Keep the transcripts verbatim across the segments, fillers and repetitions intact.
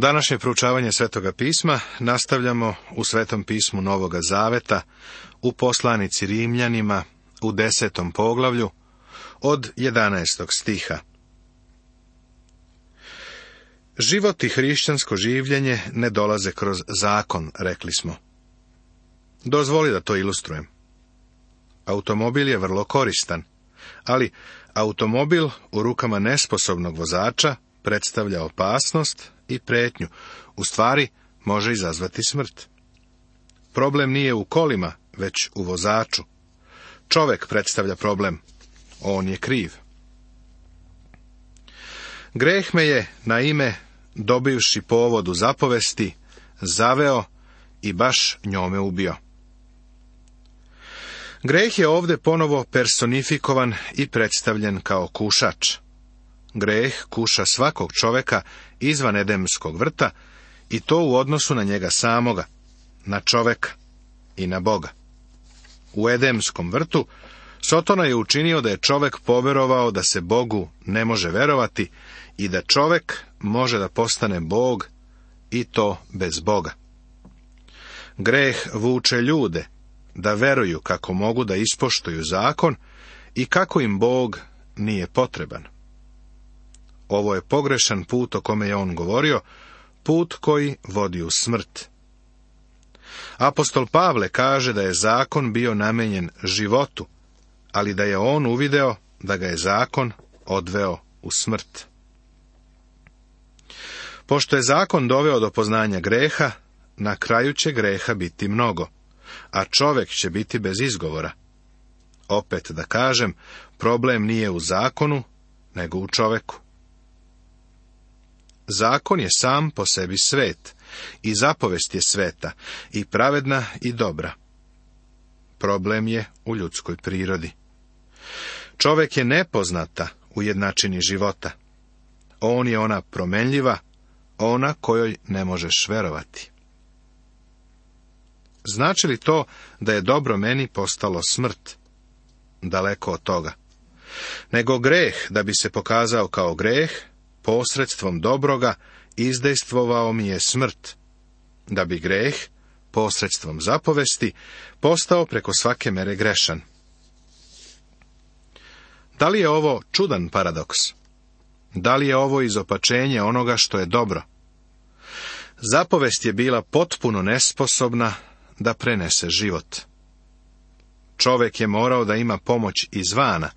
Današnje proučavanje Svetoga pisma nastavljamo u Svetom pismu Novoga Zaveta, u poslanici Rimljanima, u desetom poglavlju, od jedanaestog stiha. Život i hrišćansko življenje ne dolaze kroz zakon, rekli smo. Dozvoli da to ilustrujem. Automobil je vrlo koristan, ali automobil u rukama nesposobnog vozača predstavlja opasnost i pretnju, u stvari može izazvati smrt. Problem nije u kolima, već u vozaču. Čovek predstavlja problem, on je kriv. Greh me je, na ime, dobivši povod u zapovesti, zaveo i baš njome ubio. Greh je ovdje ponovo personifikovan i predstavljen kao kušač. Greh kuša svakog čoveka izvan Edemskog vrta, i to u odnosu na njega samoga, na čoveka i na Boga. U Edemskom vrtu Sotona je učinio da je čovek poverovao da se Bogu ne može verovati i da čovek može da postane Bog, i to bez Boga. Greh vuče ljude da veruju kako mogu da ispoštuju zakon i kako im Bog nije potreban. Ovo je pogrešan put o kome je on govorio, put koji vodi u smrt. Apostol Pavle kaže da je zakon bio namenjen životu, ali da je on uvideo da ga je zakon odveo u smrt. Pošto je zakon doveo do poznanja greha, na kraju će greha biti mnogo, a čovek će biti bez izgovora. Opet da kažem, problem nije u zakonu, nego u čoveku. Zakon je sam po sebi svet, i zapovest je sveta, i pravedna i dobra. Problem je u ljudskoj prirodi. Čovek je nepoznata u jednačini života. On je ona promenljiva, ona kojoj ne možeš verovati. Znači li to da je dobro meni postalo smrt? Daleko od toga. Nego greh, da bi se pokazao kao greh, posredstvom dobroga izdejstvovao mi je smrt, da bi greh, posredstvom zapovesti, postao preko svake mere grešan. Da li je ovo čudan paradoks? Da li je ovo izopačenje onoga što je dobro? Zapovest je bila potpuno nesposobna da prenese život. Čovek je morao da ima pomoć izvana,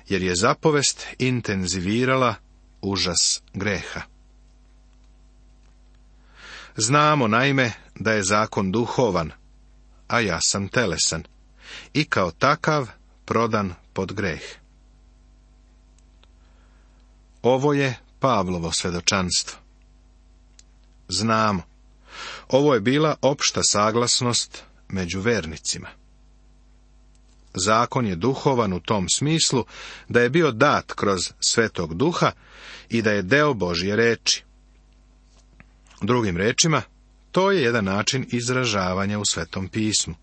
jer je zapovest intenzivirala užas greha. Znamo, naime, da je zakon duhovan, a ja sam telesan, i kao takav prodan pod greh. Ovo je Pavlovo svedočanstvo. Znamo, ovo je bila opšta saglasnost među vernicima. Zakon je duhovan u tom smislu da je bio dat kroz Svetog Duha i da je deo Božje reči. Drugim rečima, to je jedan način izražavanja u Svetom pismu.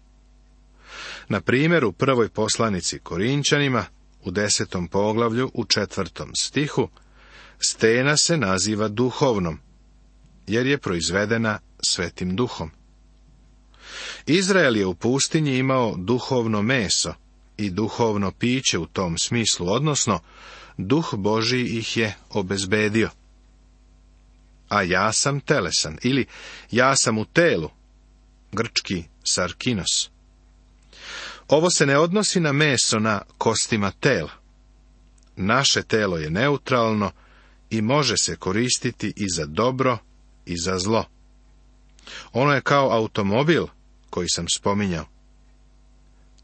Na primjer, u prvoj poslanici Korinćanima, u desetom poglavlju, u četvrtom stihu, stena se naziva duhovnom, jer je proizvedena Svetim Duhom. Izrael je u pustinji imao duhovno meso i duhovno piće u tom smislu, odnosno, Duh Božji ih je obezbedio. A ja sam telesan, ili ja sam u telu, grčki sarkinos. Ovo se ne odnosi na meso na kostima tela. Naše telo je neutralno i može se koristiti i za dobro i za zlo. Ono je kao automobil koji sam spominjao.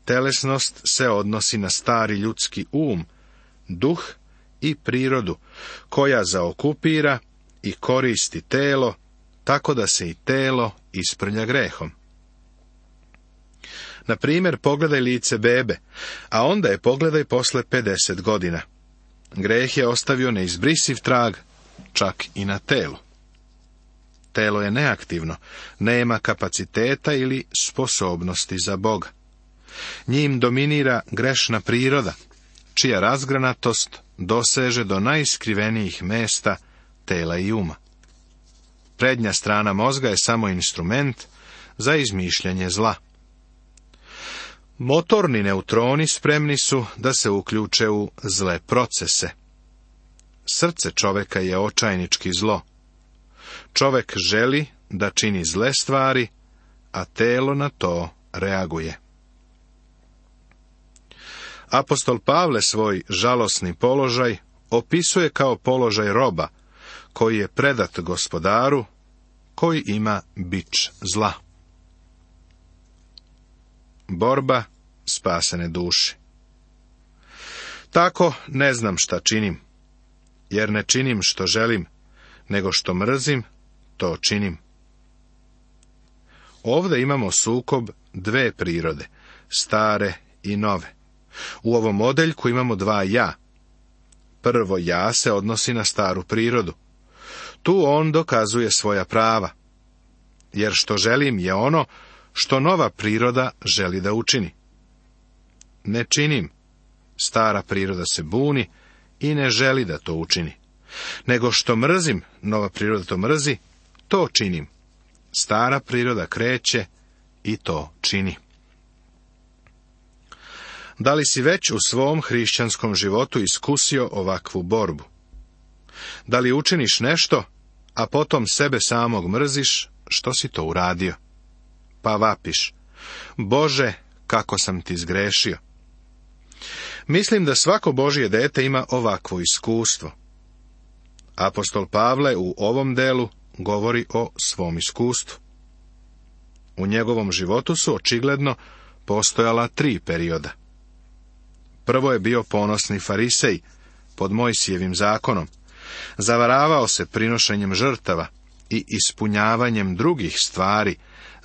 Telesnost se odnosi na stari ljudski um, duh i prirodu, koja zaokupira i koristi telo, tako da se i telo isprlja grehom. Na primjer, pogledaj lice bebe, a onda je pogledaj posle pedeset godina. Greh je ostavio neizbrisiv trag, čak i na telu. Telo je neaktivno, nema kapaciteta ili sposobnosti za Boga. Njim dominira grešna priroda, čija razgranatost doseže do najskrivenijih mesta tela i uma. prednja strana mozga je samo instrument za izmišljanje zla. Motorni neutroni spremni su da se uključe u zle procese. Srce čoveka je očajnički zlo. Čovek želi da čini zle stvari, a telo na to reaguje. Apostol Pavle svoj žalosni položaj opisuje kao položaj roba, koji je predat gospodaru, koji ima bič zla. Borba spasene duše. Tako ne znam šta činim, jer ne činim što želim, nego što mrzim, to činim. Ovdje imamo sukob dve prirode, stare i nove. U ovom odeljku imamo dva ja. Prvo ja se odnosi na staru prirodu. Tu on dokazuje svoja prava, jer što želim je ono što nova priroda želi da učini. Ne činim. Stara priroda se buni i ne želi da to učini. Nego što mrzim, nova priroda to mrzi, to činim. Stara priroda kreće i to čini. Da li si već u svom hrišćanskom životu iskusio ovakvu borbu? Da li učiniš nešto, a potom sebe samog mrziš što si to uradio? Pa vapiš: Bože, kako sam ti zgrešio. Mislim da svako Božje dete ima ovakvo iskustvo. Apostol Pavle u ovom delu govori o svom iskustvu. U njegovom životu su očigledno postojala tri perioda. Prvo je bio ponosni farisej pod Mojsijevim zakonom. Zavaravao se prinošenjem žrtava i ispunjavanjem drugih stvari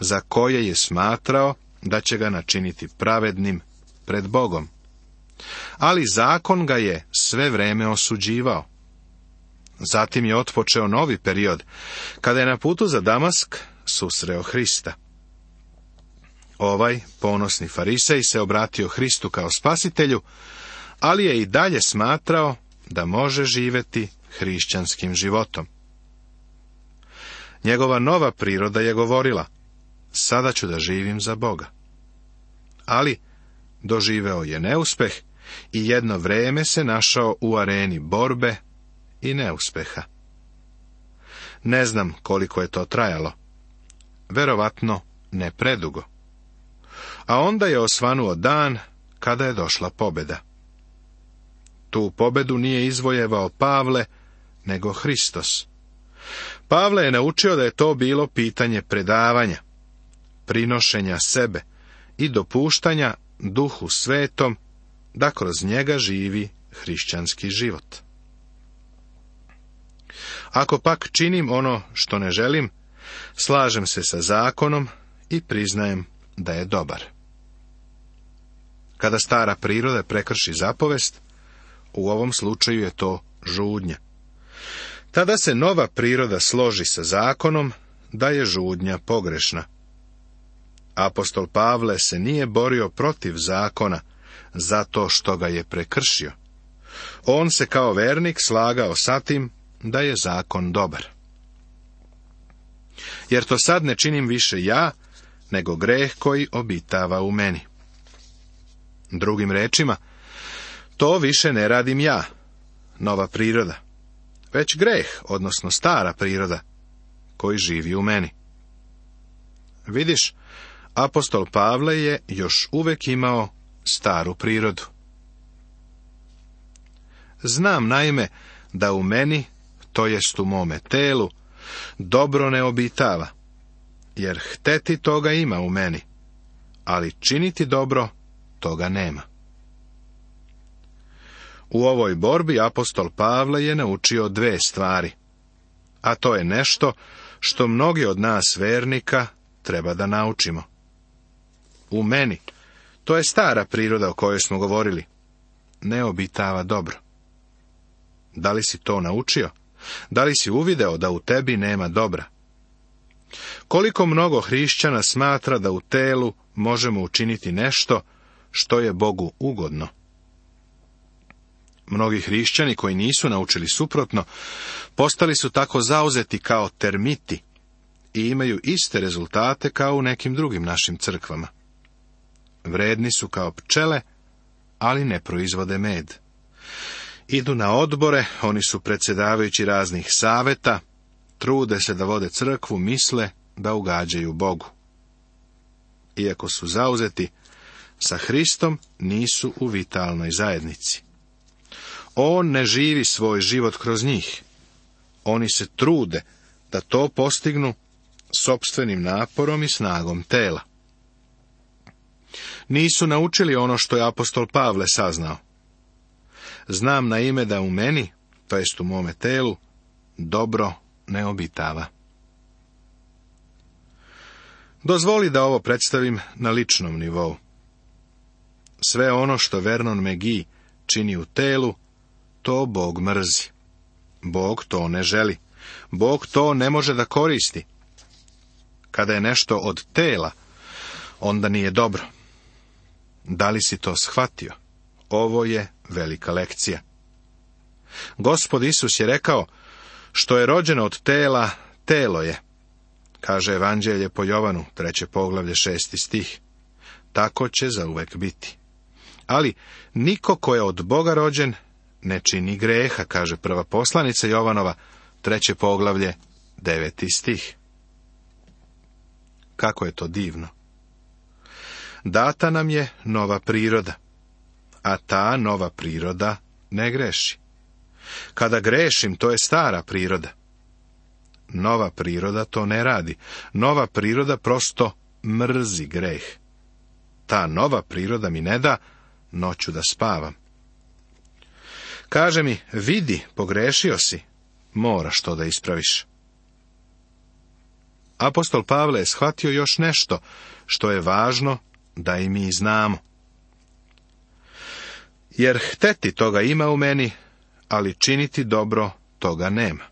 za koje je smatrao da će ga načiniti pravednim pred Bogom. Ali zakon ga je sve vreme osuđivao. Zatim je otpočeo novi period, kada je na putu za Damask susreo Hrista. Ovaj ponosni farisej se obratio Hristu kao spasitelju, ali je i dalje smatrao da može živjeti hrišćanskim životom. Njegova nova priroda je govorila: sada ću da živim za Boga. Ali doživeo je neuspeh i jedno vreme se našao u areni borbe i neuspeha. Ne znam koliko je to trajalo. Verovatno ne predugo. A onda je osvanuo dan kada je došla pobjeda. Tu pobjedu nije izvojevao Pavle, nego Hristos. Pavle je naučio da je to bilo pitanje predavanja, prinošenja sebe i dopuštanja Duhu Svetom da kroz njega živi hrišćanski život. Ako pak činim ono što ne želim, slažem se sa zakonom i priznajem da je dobar. Kada stara priroda prekrši zapovest, u ovom slučaju je to žudnja. Tada se nova priroda složi sa zakonom da je žudnja pogrešna. Apostol Pavle se nije borio protiv zakona zato što ga je prekršio. On se kao vernik slagao sa tim da je zakon dobar. Jer to sad ne činim više ja, nego greh koji obitava u meni. Drugim rečima, to više ne radim ja, nova priroda, već greh, odnosno stara priroda, koji živi u meni. Vidiš, apostol Pavle je još uvek imao staru prirodu. Znam naime da u meni, to jest u mome telu, dobro ne obitava, jer hteti toga ima u meni, ali činiti dobro toga nema. U ovoj borbi apostol Pavle je naučio dve stvari, a to je nešto što mnogi od nas vernika treba da naučimo. U meni, to je stara priroda o kojoj smo govorili, ne obitava dobro. Da li si to naučio? Da li si uvideo da u tebi nema dobra? Koliko mnogo hrišćana smatra da u telu možemo učiniti nešto što je Bogu ugodno? Mnogi hrišćani koji nisu naučili suprotno, postali su tako zauzeti kao termiti i imaju iste rezultate kao u nekim drugim našim crkvama. Vredni su kao pčele, ali ne proizvode med. Idu na odbore, oni su predsjedavajući raznih saveta, trude se da vode crkvu, misle da ugađaju Bogu. Iako su zauzeti, sa Hristom nisu u vitalnoj zajednici. On ne živi svoj život kroz njih. Oni se trude da to postignu sopstvenim naporom i snagom tela. Nisu naučili ono što je apostol Pavle saznao. Znam na ime da u meni, to jest u mome telu, dobro ne obitava. Dozvoli da ovo predstavim na ličnom nivou. Sve ono što Vernon McGee čini u telu, to Bog mrzi. Bog to ne želi. Bog to ne može da koristi. Kada je nešto od tela, onda nije dobro. Da li si to shvatio? Ovo je velika lekcija. Gospod Isus je rekao, što je rođeno od tela, telo je. Kaže Evanđelje po Jovanu, treće poglavlje, šesti stih. Tako će zauvek biti. Ali niko ko je od Boga rođen ne čini greha, kaže prva poslanica Jovanova, treće poglavlje, deveti stih. Kako je to divno. Data nam je nova priroda, a ta nova priroda ne greši. Kada grešim, to je stara priroda. Nova priroda to ne radi. Nova priroda prosto mrzi greh. Ta nova priroda mi ne da noću da spavam. Kaže mi, vidi, pogrešio si, moraš to da ispraviš. Apostol Pavle je shvatio još nešto što je važno da i mi znamo. Jer hteti toga ima u meni, ali činiti dobro toga nema.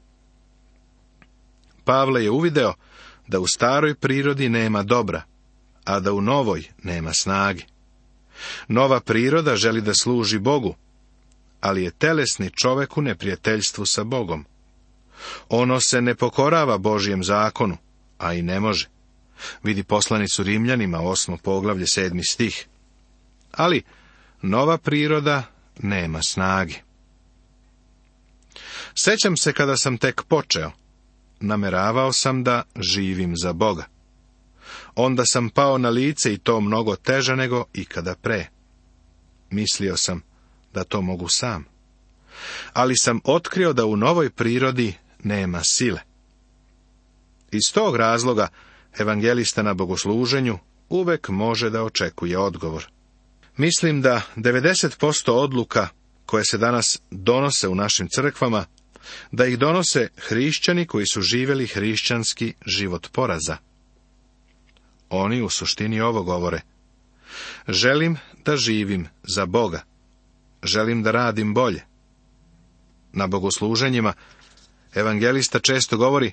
Pavle je uvideo da u staroj prirodi nema dobra, a da u novoj nema snage. Nova priroda želi da služi Bogu, ali je telesni čovek u neprijateljstvu sa Bogom. Ono se ne pokorava Božjem zakonu, a i ne može. Vidi poslanicu Rimljanima, osmo poglavlje, sedmi stih. Ali nova priroda nema snage. Sećam se kada sam tek počeo, nameravao sam da živim za Boga. Onda sam pao na lice i to mnogo teže nego ikada pre. Mislio sam da to mogu sam. Ali sam otkrio da u novoj prirodi nema sile. Iz tog razloga evangelista na bogosluženju uvek može da očekuje odgovor. Mislim da devedeset posto odluka koje se danas donose u našim crkvama, da ih donose hrišćani koji su živjeli hrišćanski život poraza. Oni u suštini ovo govore. Želim da živim za Boga. Želim da radim bolje. Na bogosluženjima evangelista često govori,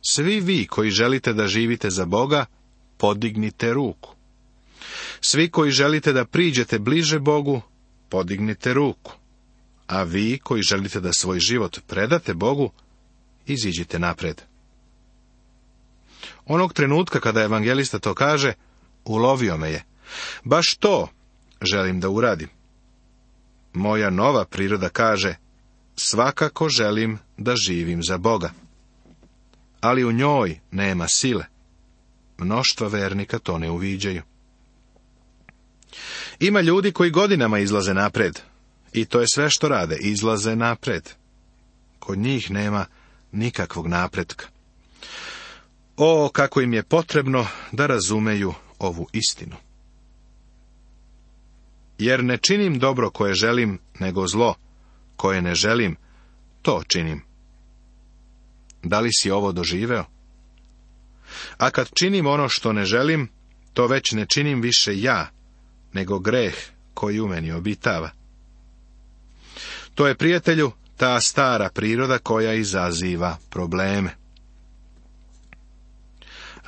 svi vi koji želite da živite za Boga, podignite ruku. Svi koji želite da priđete bliže Bogu, podignite ruku. A vi koji želite da svoj život predate Bogu, iziđite napred. Onog trenutka kada evangelista to kaže, ulovio me je. Baš to želim da uradim. Moja nova priroda kaže, svakako želim da živim za Boga. Ali u njoj nema sile. Mnoštva vernika to ne uviđaju. Ima ljudi koji godinama izlaze napred. I to je sve što rade, izlaze napred. Kod njih nema nikakvog napretka. O, kako im je potrebno da razumeju ovu istinu. Jer ne činim dobro koje želim, nego zlo koje ne želim, to činim. Da li si ovo doživeo? A kad činim ono što ne želim, to već ne činim više ja, nego greh koji u meni obitava. To je, prijatelju, ta stara priroda koja izaziva probleme.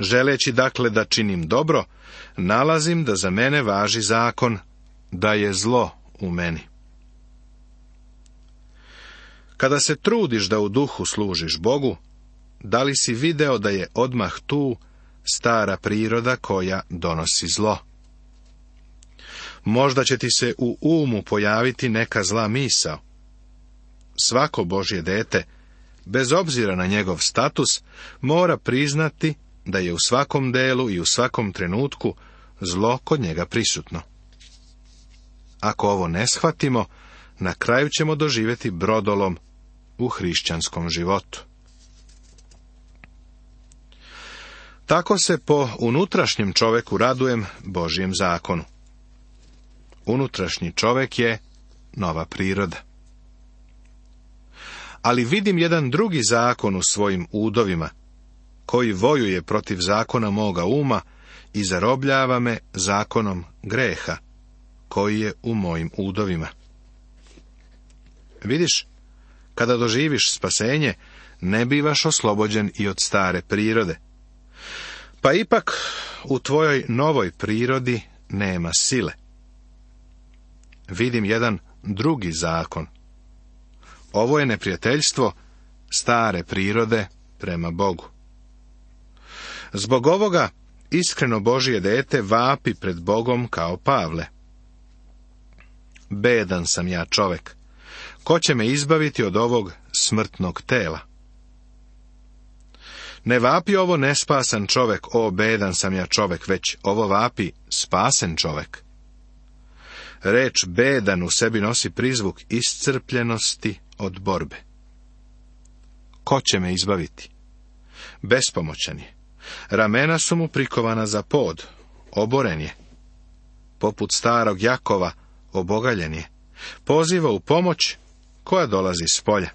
Želeći dakle da činim dobro, nalazim da za mene važi zakon da je zlo u meni. Kada se trudiš da u duhu služiš Bogu, da li si video da je odmah tu stara priroda koja donosi zlo? Možda će ti se u umu pojaviti neka zla misao. Svako Božje dete, bez obzira na njegov status, mora priznati da je u svakom delu i u svakom trenutku zlo kod njega prisutno. Ako ovo ne shvatimo, na kraju ćemo doživjeti brodolom u hrišćanskom životu. Tako se po unutrašnjem čoveku radujem Božjem zakonu. Unutrašnji čovek je nova priroda. Ali vidim jedan drugi zakon u svojim udovima, koji vojuje protiv zakona moga uma i zarobljava me zakonom greha, koji je u mojim udovima. Vidiš, kada doživiš spasenje, ne bivaš oslobođen i od stare prirode. Pa ipak u tvojoj novoj prirodi nema sile. Vidim jedan drugi zakon. Ovo je neprijateljstvo stare prirode prema Bogu. Zbog ovoga iskreno Božje dete vapi pred Bogom kao Pavle. Bedan sam ja čovek. Ko će me izbaviti od ovog smrtnog tela? Ne vapi ovo nespasan čovek, o bedan sam ja čovek, već ovo vapi spasen čovek. Reč bedan u sebi nosi prizvuk iscrpljenosti od borbe. Ko će me izbaviti? Bespomoćan je. Ramena su mu prikovana za pod, oboren je. Poput starog Jakova obogaljen je. Poziva u pomoć koja dolazi s polja.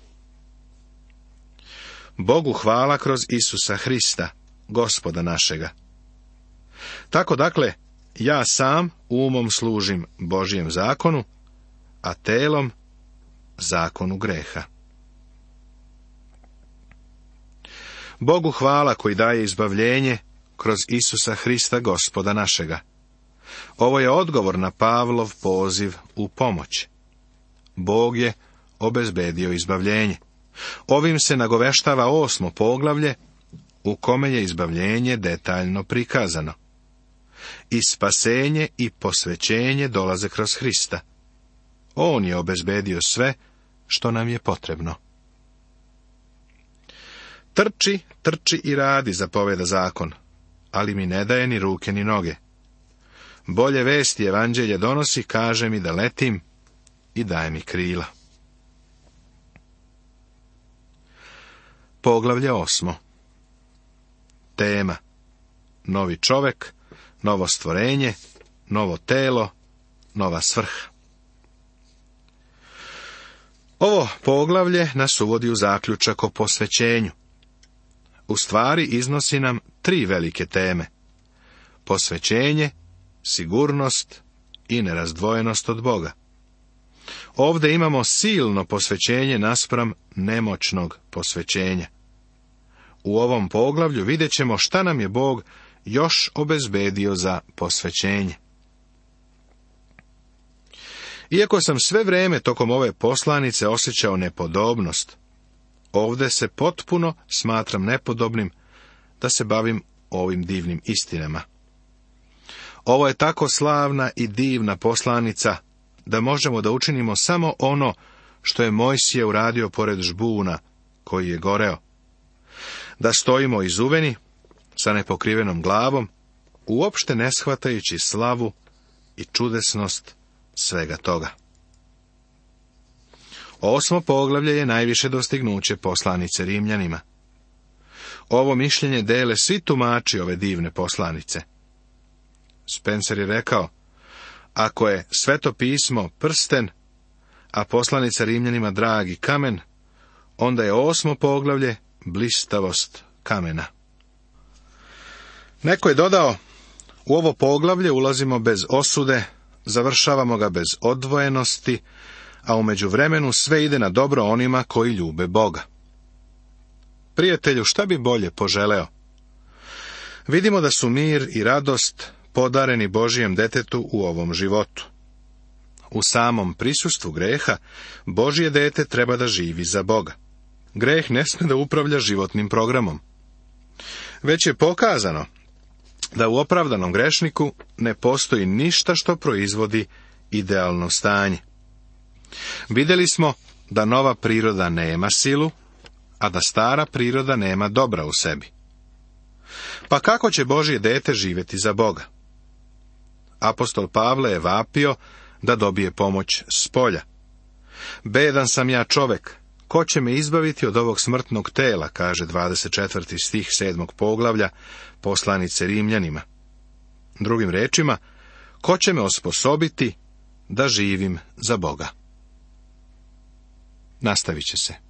Bogu hvala kroz Isusa Hrista, Gospoda našega. Tako dakle, ja sam umom služim Božjem zakonu, a telom zakonu greha. Bogu hvala koji daje izbavljenje kroz Isusa Hrista, Gospoda našega. Ovo je odgovor na Pavlov poziv u pomoć. Bog je obezbedio izbavljenje. Ovim se nagoveštava osmo poglavlje, u kome je izbavljenje detaljno prikazano. I spasenje i posvećenje dolaze kroz Hrista. On je obezbedio sve što nam je potrebno. Trči, trči i radi, zapoveda zakon, ali mi ne daje ni ruke ni noge. Bolje vesti evanđelje donosi, kaže mi da letim i daje mi krila. Poglavlje osmo. Tema: novi čovek, novo stvorenje, novo telo, nova svrha. Ovo poglavlje nas uvodi u zaključak o posvećenju. U stvari iznosi nam tri velike teme: posvećenje, sigurnost i nerazdvojenost od Boga. Ovdje imamo silno posvećenje naspram nemoćnog posvećenja. U ovom poglavlju vidjet ćemo šta nam je Bog još obezbedio za posvećenje. Iako sam sve vrijeme tokom ove poslanice osjećao nepodobnost, ovdje se potpuno smatram nepodobnim da se bavim ovim divnim istinama. Ovo je tako slavna i divna poslanica da možemo da učinimo samo ono što je Mojsije uradio pored žbuna koji je goreo. Da stojimo izuveni, sa nepokrivenom glavom, uopšte ne shvatajući slavu i čudesnost svega toga. Osmo poglavlje je najviše dostignuće poslanice Rimljanima. Ovo mišljenje dele svi tumači ove divne poslanice. Spencer je rekao: ako je Sveto pismo prsten, a poslanica Rimljanima dragi kamen, onda je osmo poglavlje blistavost kamena. Neko je dodao: u ovo poglavlje ulazimo bez osude, završavamo ga bez odvojenosti, a u međuvremenu sve ide na dobro onima koji ljube Boga. Prijatelju, šta bi bolje poželeo? Vidimo da su mir i radost podareni Božijem detetu u ovom životu. U samom prisustvu greha, Božje dete treba da živi za Boga. Greh ne sme da upravlja životnim programom. Već je pokazano da u opravdanom grešniku ne postoji ništa što proizvodi idealno stanje. Vidjeli smo da nova priroda nema silu, a da stara priroda nema dobra u sebi. Pa kako će Božje dete živjeti za Boga? Apostol Pavle je vapio da dobije pomoć s polja. Bedan sam ja čovek, ko će me izbaviti od ovog smrtnog tela, kaže dvadeset četvrti stih sedmog poglavlja poslanice Rimljanima. Drugim rečima, ko će me osposobiti da živim za Boga? Nastavit će se.